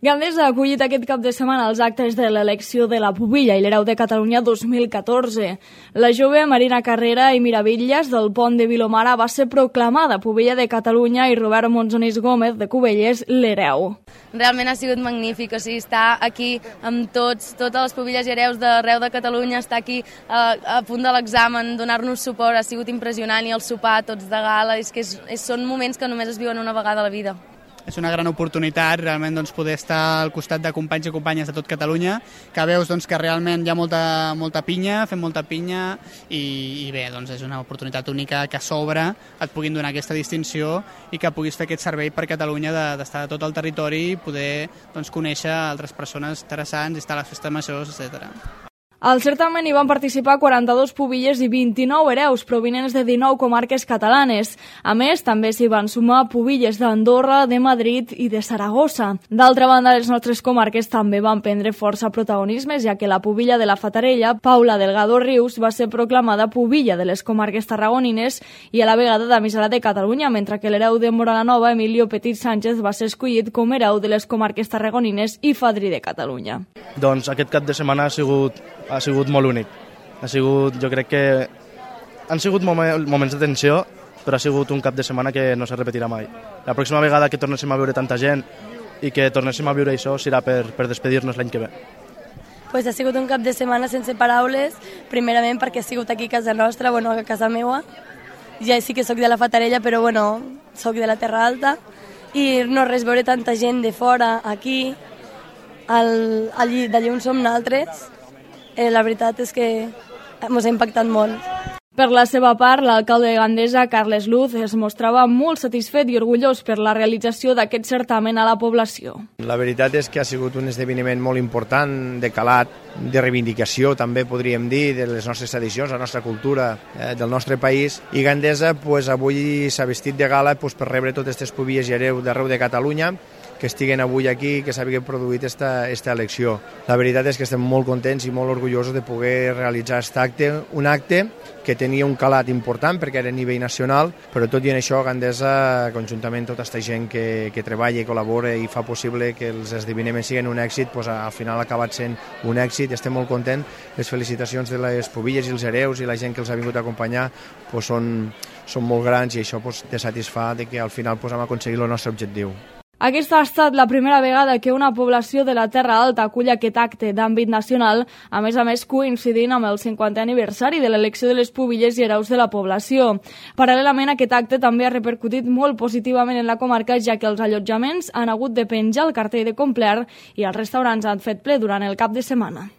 Gandesa ha acollit aquest cap de setmana els actes de l'elecció de la pubilla i l'hereu de Catalunya 2014. La jove Marina Carrera i Miravillas del Pont de Vilomara va ser proclamada pubilla de Catalunya i Robert Monzonís Gómez de Cubelles l'hereu. Realment ha sigut magnífic, estar aquí amb totes les pubilles i hereus d'arreu de Catalunya, estar aquí a punt de l'examen, donar-nos suport, ha sigut impressionant, i el sopar tots de gala, és que són moments que només es viuen una vegada a la vida. És una gran oportunitat realment poder estar al costat de companys i companyes de tot Catalunya, que veus que realment hi ha molta pinya, fem molta pinya i bé, és una oportunitat única que a sobre et puguin donar aquesta distinció i que puguis fer aquest servei per Catalunya d'estar a tot el territori i poder conèixer altres persones interessants, estar a les festes majors, etc. Al certamen hi van participar 42 pubilles i 29 hereus provinents de 19 comarques catalanes. A més, també s'hi van sumar pubilles d'Andorra, de Madrid i de Saragossa. D'altra banda, les nostres comarques també van prendre força protagonisme, ja que la pubilla de la Fatarella, Paula Delgado Rius, va ser proclamada pubilla de les comarques tarragonines i a la vegada d'emissora de Catalunya, mentre que l'hereu de Moralanova, Emilio Petit Sánchez, va ser escollit com hereu de les comarques tarragonines i fadrí de Catalunya. Doncs aquest cap de setmana ha sigut molt únic. Jo crec que han sigut moments de tensió, però ha sigut un cap de setmana que no se repetirà mai. La pròxima vegada que tornéssim a veure tanta gent i que tornéssim a viure això serà per despedir-nos l'any que ve. Ha sigut un cap de setmana sense paraules, primerament perquè ha sigut aquí a casa nostra, a casa meua. Ja sí que sóc de la Fatarella, però sóc de la Terra Alta, i no res, veure tanta gent de fora, aquí, d'allí on som nosaltres, la veritat és que ens ha impactat molt. Per la seva part, l'alcalde de Gandesa, Carles Luz, es mostrava molt satisfet i orgullós per la realització d'aquest certamen a la població. La veritat és que ha sigut un esdeveniment molt important, de calat, de reivindicació, també podríem dir, de les nostres tradicions, la nostra cultura, del nostre país. I Gandesa avui s'ha vestit de gala per rebre totes aquestes pubilles i hereus d'arreu de Catalunya, que estiguen avui aquí, que s'hagin produït aquesta elecció. La veritat és que estem molt contents i molt orgullosos de poder realitzar aquest acte, un acte que tenia un calat important perquè era a nivell nacional, però tot i en això Gandesa, conjuntament tota aquesta gent que treballa i col·labora i fa possible que els esdeveniments siguin un èxit, al final ha acabat sent un èxit. Estem molt contents. Les felicitacions de les pubilles i els hereus i la gent que els ha vingut a acompanyar són molt grans, i això te satisfà que al final hem aconseguit el nostre objectiu. Aquesta ha estat la primera vegada que una població de la Terra Alta acull aquest acte d'àmbit nacional, a més coincidint amb el 50è aniversari de l'elecció de les pubilles i hereus de la població. Paral·lelament, aquest acte també ha repercutit molt positivament en la comarca, ja que els allotjaments han hagut de penjar el cartell de complet i els restaurants han fet ple durant el cap de setmana.